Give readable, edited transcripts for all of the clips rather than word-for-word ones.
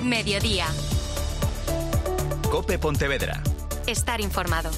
Mediodía. COPE Pontevedra. Estar informado.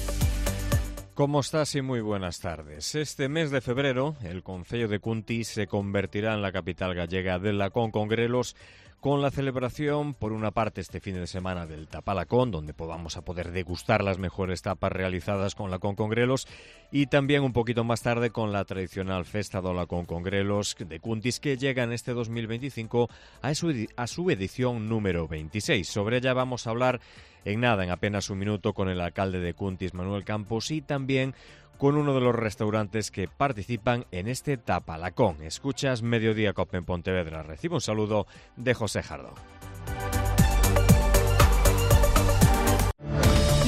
¿Cómo estás? Y muy buenas tardes. Este mes de febrero, el concello de Cuntis se convertirá en la capital gallega del Lacón con Grelos, con la celebración, por una parte, este fin de semana del Tapalacón, donde vamos a poder degustar las mejores tapas realizadas con Lacón con Grelos, y también un poquito más tarde con la tradicional Festa do Lacón con Grelos de Cuntis, que llega en este 2025 a su edición número 26. Sobre ella vamos a hablar en apenas un minuto, con el alcalde de Cuntis, Manuel Campos, y también con uno de los restaurantes que participan en este Tapalacón. Escuchas Mediodía COPE en Pontevedra. Recibe un saludo de José Jardo.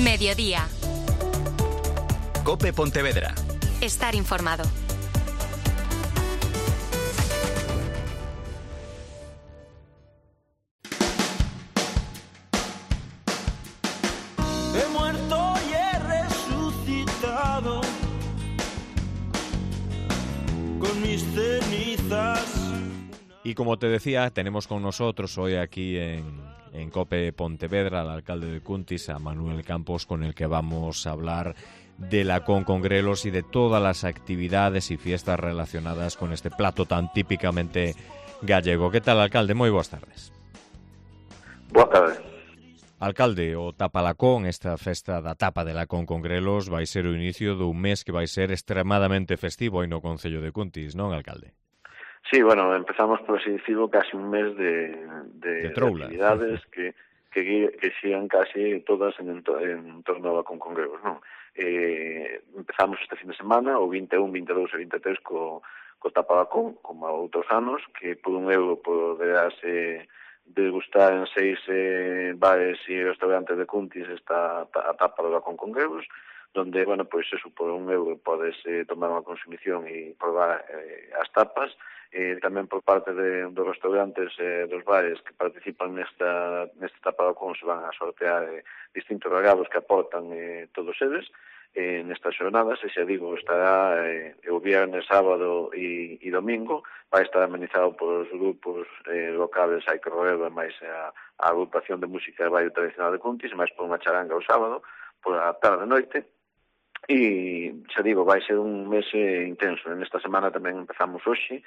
Mediodía. COPE Pontevedra. Estar informado. He muerto y he resucitado con mis cenizas. Y como te decía, tenemos con nosotros hoy aquí en COPE Pontevedra al alcalde de Cuntis, a Manuel Campos, con el que vamos a hablar de Lacón con Grelos y de todas las actividades y fiestas relacionadas con este plato tan típicamente gallego. ¿Qué tal, alcalde? Moi boas tardes. Boa tarde. Alcalde, o Tapalacón, esta festa da tapa de Lacón con Grelos, vai ser o inicio dun mes que vai ser extremadamente festivo aí no concello de Cuntis, non, alcalde? Sí, bueno, empezamos, por así decirlo, casi un mes de actividades que sigan casi todas en torno ao Lacón con Grelos, non? Empezamos este fin de semana, o 21, 22 e 23, co Tapalacón, como a outros anos, que por €1 poderase degustar en 6 bares e restaurantes de Cuntis a tapa do Lacón con Grelos, donde, bueno, pois eso, por €1 podes tomar unha consumición e probar as tapas. Tamén por parte dos restaurantes dos bares que participan neste Tapalacón se van a sortear distintos regalos que aportan todos eles nestas xornadas, e xa digo, estará o viernes, sábado e domingo, vai estar amenizado por os grupos locales Hai que Roero e máis a agrupación de música de baile tradicional de Cuntis, máis por unha charanga o sábado, por a tarde e noite. E xa digo, vai ser un mes intenso. Nesta semana tamén empezamos hoxe,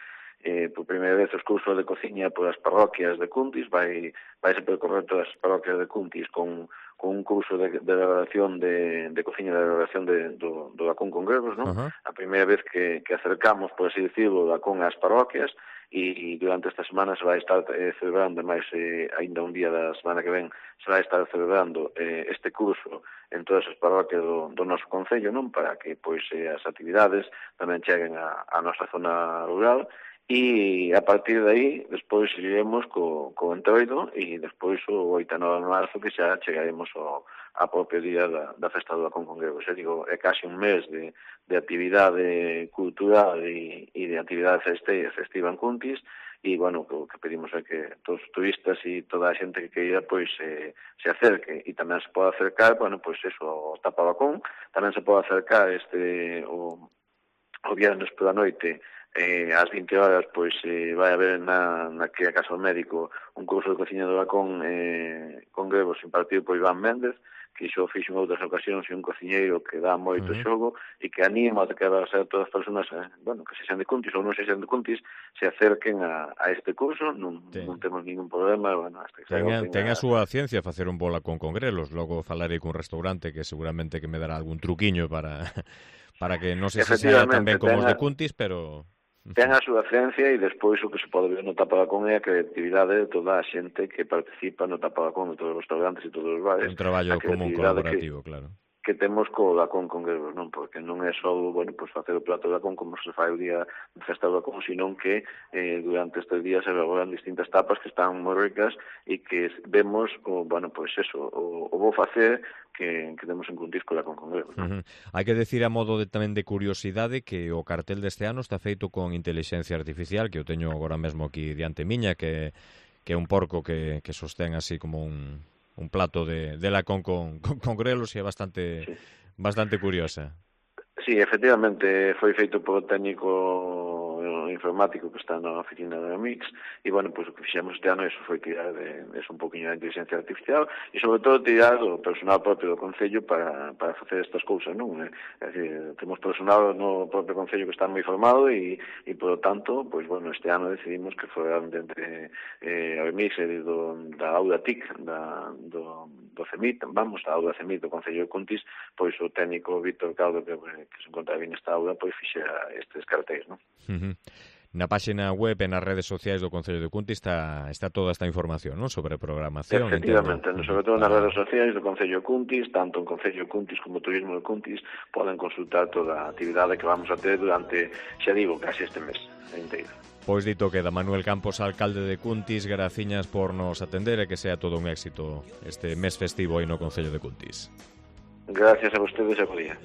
por primeira vez, os cursos de cociña por as parroquias de Cuntis. Vai se percorrer todas as parroquias de Cuntis con un curso de elaboración de cociña, de elaboración do Lacón con Grelos, non? A primeira vez que acercamos, por así decirlo, o Lacón ás parroquias, e durante esta semana se vai estar celebrando, máis ainda un día da semana que ven, se vai estar celebrando este curso en todas as parroquias do noso concello, non? Para que pois as actividades tamén cheguen á nosa zona rural. E a partir de aí, despois iremos co Entroido, e despois o 8 e 9 de marzo, que xa chegaremos ao propio día da festa do Lacón con Grelos. Digo, é casi un mes de actividade cultural e de actividade festiva en Cuntis, e, bueno, o que pedimos é que todos os turistas e toda a xente que queira, pois, se acerque, e tamén se pode acercar, bueno, pois eso, ao Tapalacón, tamén se pode acercar o viernes pola noite, ás 20 horas, pois vai haber na que a Casa do Médico un curso de cociña do Lacón con Grelos impartido por Iván Méndez, que xo fixo en outras ocasións, e un cociñeiro que dá moito xogo e que anima a que a todas as persoas, bueno, que se xan de Cuntis ou non se xan de Cuntis, se acerquen a este curso. Non temos ningún problema. Bueno, hasta que ten a súa ciencia facer un bo Lacón con Grelos. Logo falarei cun restaurante que seguramente que me dará algún truquiño para que non se sea tan ben como os de Cuntis, pero ten a súa ciencia, e despois o que se pode ver no Tapalacón é a creatividade de toda a xente que participa no Tapalacón, de todos os restaurantes e todos os bares. Un traballo común colaborativo, claro. Que temos co Lacón con Grelos, non? Porque non é só, bueno, pois facer o plato de Lacón como se fai o día de festa do Lacón, senón que durante estes días se elaboran distintas tapas que están moi ricas e que vemos, bueno, pois eso, o bo facer que temos en Cuntis co Lacón con Grelos. Hai que decir, a modo tamén de curiosidade, que o cartel deste ano está feito con inteligencia artificial, que eu teño agora mesmo aquí diante miña, que é un porco que sostén así como un plato de Lacón con Grelos, e é bastante curiosa. Sí, efectivamente, foi feito por técnico informático que está na oficina da Mix, e, bueno, pois o que fixemos este ano foi tirar un poquinho da inteligencia artificial e, sobre todo, tirar o personal propio do Concello para facer estas cousas, non? É dicir, temos personal no propio Concello que está moi formado e por lo tanto, pois, bueno, este ano decidimos que fora entre a Mix e da Auda TIC, do CEMIT, da Auda CEMIT do Concello de Cuntis, pois o técnico Víctor Caldo, que se encontra bien nesta auda, pois fixera estes cartéis, non? Na páxina web e nas redes sociais do Concello de Cuntis está toda esta información, non? Sobre programación. Efectivamente, sobre todo nas redes sociais do Concello de Cuntis, tanto en Concello de Cuntis como Turismo de Cuntis, poden consultar toda a actividade que vamos a ter durante, xa digo, casi este mes inteiro. Pois dito queda, Manuel Campos, alcalde de Cuntis, graciñas por nos atender e que sea todo un éxito este mes festivo aí no Concello de Cuntis. Gracias a vostedes e bo día.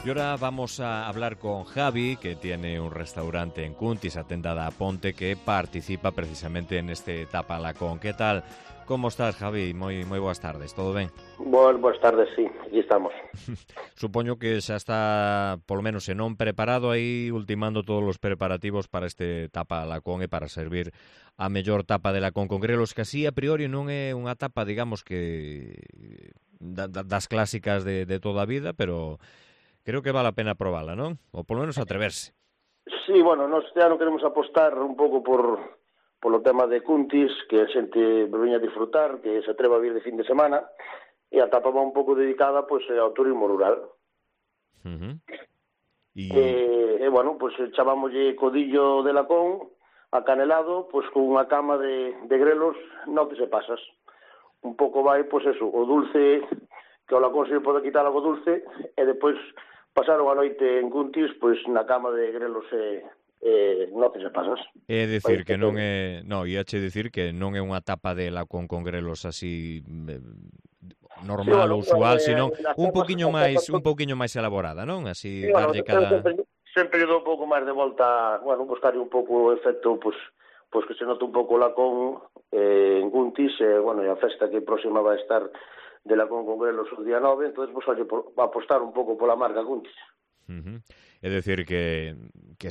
Y ahora vamos a hablar con Javi, que tiene un restaurante en Cuntis, Atenda da Ponte, que participa precisamente en este Tapalacón. ¿Qué tal? ¿Cómo estás, Javi? Moi boas tardes, todo ben? Boas tardes, sí, aquí estamos. Supoño que xa está, polo menos, se non preparado aí, ultimando todos os preparativos para este Tapalacón e para servir a mellor tapa de Lacón con grelos, que así a priori non é unha tapa, digamos, que das clásicas de toda a vida, pero creo que vale a pena probarla, non? Ou polo menos atreverse. Sí, bueno, nós este ano queremos apostar un pouco polo tema de Cuntis, que a xente veña a disfrutar, que se atreva a vir de fin de semana, e a tapa va un pouco dedicada pois ao turismo rural. E bueno, pois chamámoslle codillo de Lacón, acanelado, pois con unha cama de grelos, non te se pasas. Un pouco vai, pois eso, o dulce, que o Lacón se pode quitar algo dulce, e depois pasaron a noite en Cuntis, pois na cama de grelos non te se pasas. É dicir que non é, iache dicir que non é unha tapa de Lacón con grelos así normal ou usual, sino un poquinho máis elaborada, non? Así darlle cada sempre dou un pouco máis de volta, bueno, buscarlle un pouco o efecto, pois que se note un pouco o Lacón en Cuntis, bueno, e a festa que próxima vai estar de Lacón con grelos o día 9, entonces pues va a apostar un pouco pola marca Cuntis. É dicir que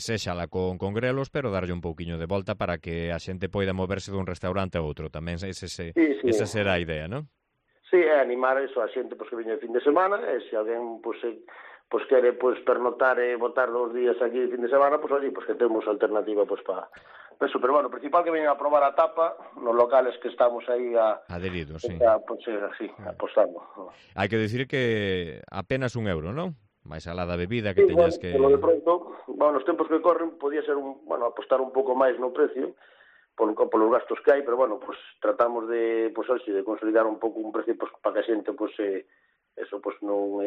sexa Lacón con grelos, pero darlle un pouquiño de volta para que a xente poida moverse dun restaurante a outro. Tamén esa será a idea, non? Sí, é animar eso a xente que veña de fin de semana, e se alguén quere pernotar e botar 2 días aquí de fin de semana, que temos alternativa para eso, pero bueno, o principal que veñen a probar a tapa nos locales que estamos aí adheridos, sí. Apostando. Hai que dicir que apenas €1, non? máis alá da bebida que teñas que... Bueno, de pronto, nos tempos que corren, podía ser apostar un pouco máis no precio, polos gastos que hai, pero bueno, tratamos de consolidar un pouco un precio para que a xente, non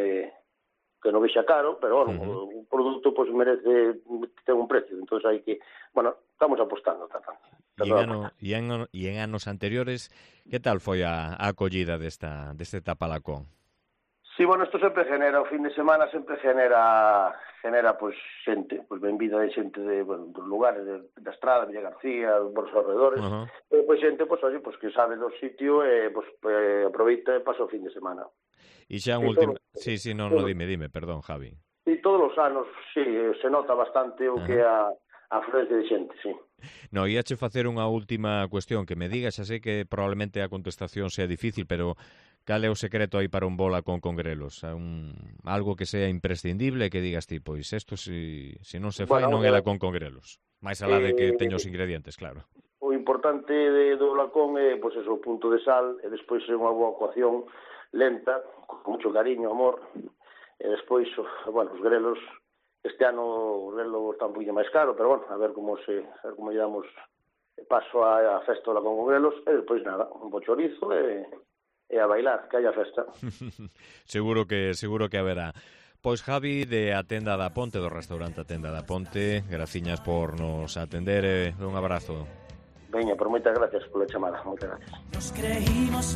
que non vexa caro, pero bueno, un produto merece ter un precio, entón hai que, estamos apostando. E en anos anteriores, que tal foi a acollida deste Tapalacón? Sí, bueno, isto sempre genera, o fin de semana sempre genera xente, benvida de xente dos lugares, da Estrada, Villa García, dos alrededores, e xente, que sabe do sitio e aproveita e pasa o fin de semana. E xa un último... Sí, dime, perdón, Javi. E todos os anos, sí, se nota bastante o que é a afluencia de xente, sí. No, íache facer unha última cuestión, que me digas, xa sei que probablemente a contestación sea difícil, pero cal é o secreto aí para un bola con grelos? Algo que sea imprescindible, que digas ti, pois isto se non se fai non é Lacón con grelos. Mais alá de que teña os ingredientes, claro. O importante do Lacón é, o punto de sal, e despois unha boa coacción lenta, con mucho cariño, amor, e despois, os grelos, este ano o grelo está un poquinho máis caro, pero a ver como lle damos paso á festa do Lacón con grelos, e despois nada, un bo chorizo e a bailar, que haya festa. Seguro que haberá. Pois Javi, de Atenda da Ponte, do restaurante Atenda da Ponte, graciñas por nos atender, un abrazo. Veña, por moitas gracias pola chamada, moitas gracias.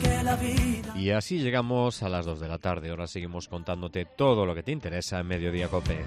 Y así llegamos a las 2 de la tarde, ahora seguimos contándote todo lo que te interesa en Mediodía Cope.